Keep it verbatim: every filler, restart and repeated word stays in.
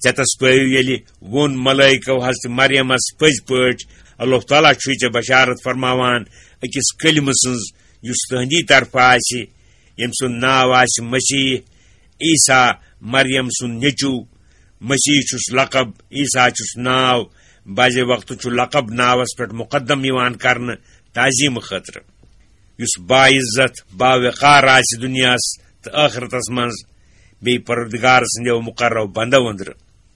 ژےٚ تس پٲوِو ییٚلہِ ووٚن ملٲیکو حضرت مریمس پٔزۍ پٲٹھۍ، اللہ تعالیٰ چھُے ژےٚ بشارت فرماوان أکِس کلمہٕ سٕنٛز، یُس تُہنٛدی طرفہٕ آسہِ، ییٚمہِ سُنٛد ناو آسہِ مسیح عیسیٰ، مریم سُنٛد نیٚچوٗ۔ مسیح چھُس لقب، عیسیٰ چھُس ناو۔ بعضے وقتہٕ چھُ لقب ناوس پٮ۪ٹھ مقدم یِوان کرنہٕ تعظیٖم خٲطرٕ۔ یُس باعزت، باوقار آسہِ دُنیاہس تہٕ ٲخرتس منٛز، بیٚیہِ پروردگار سٕنٛدیو مقررو بندو أنٛدرٕ۔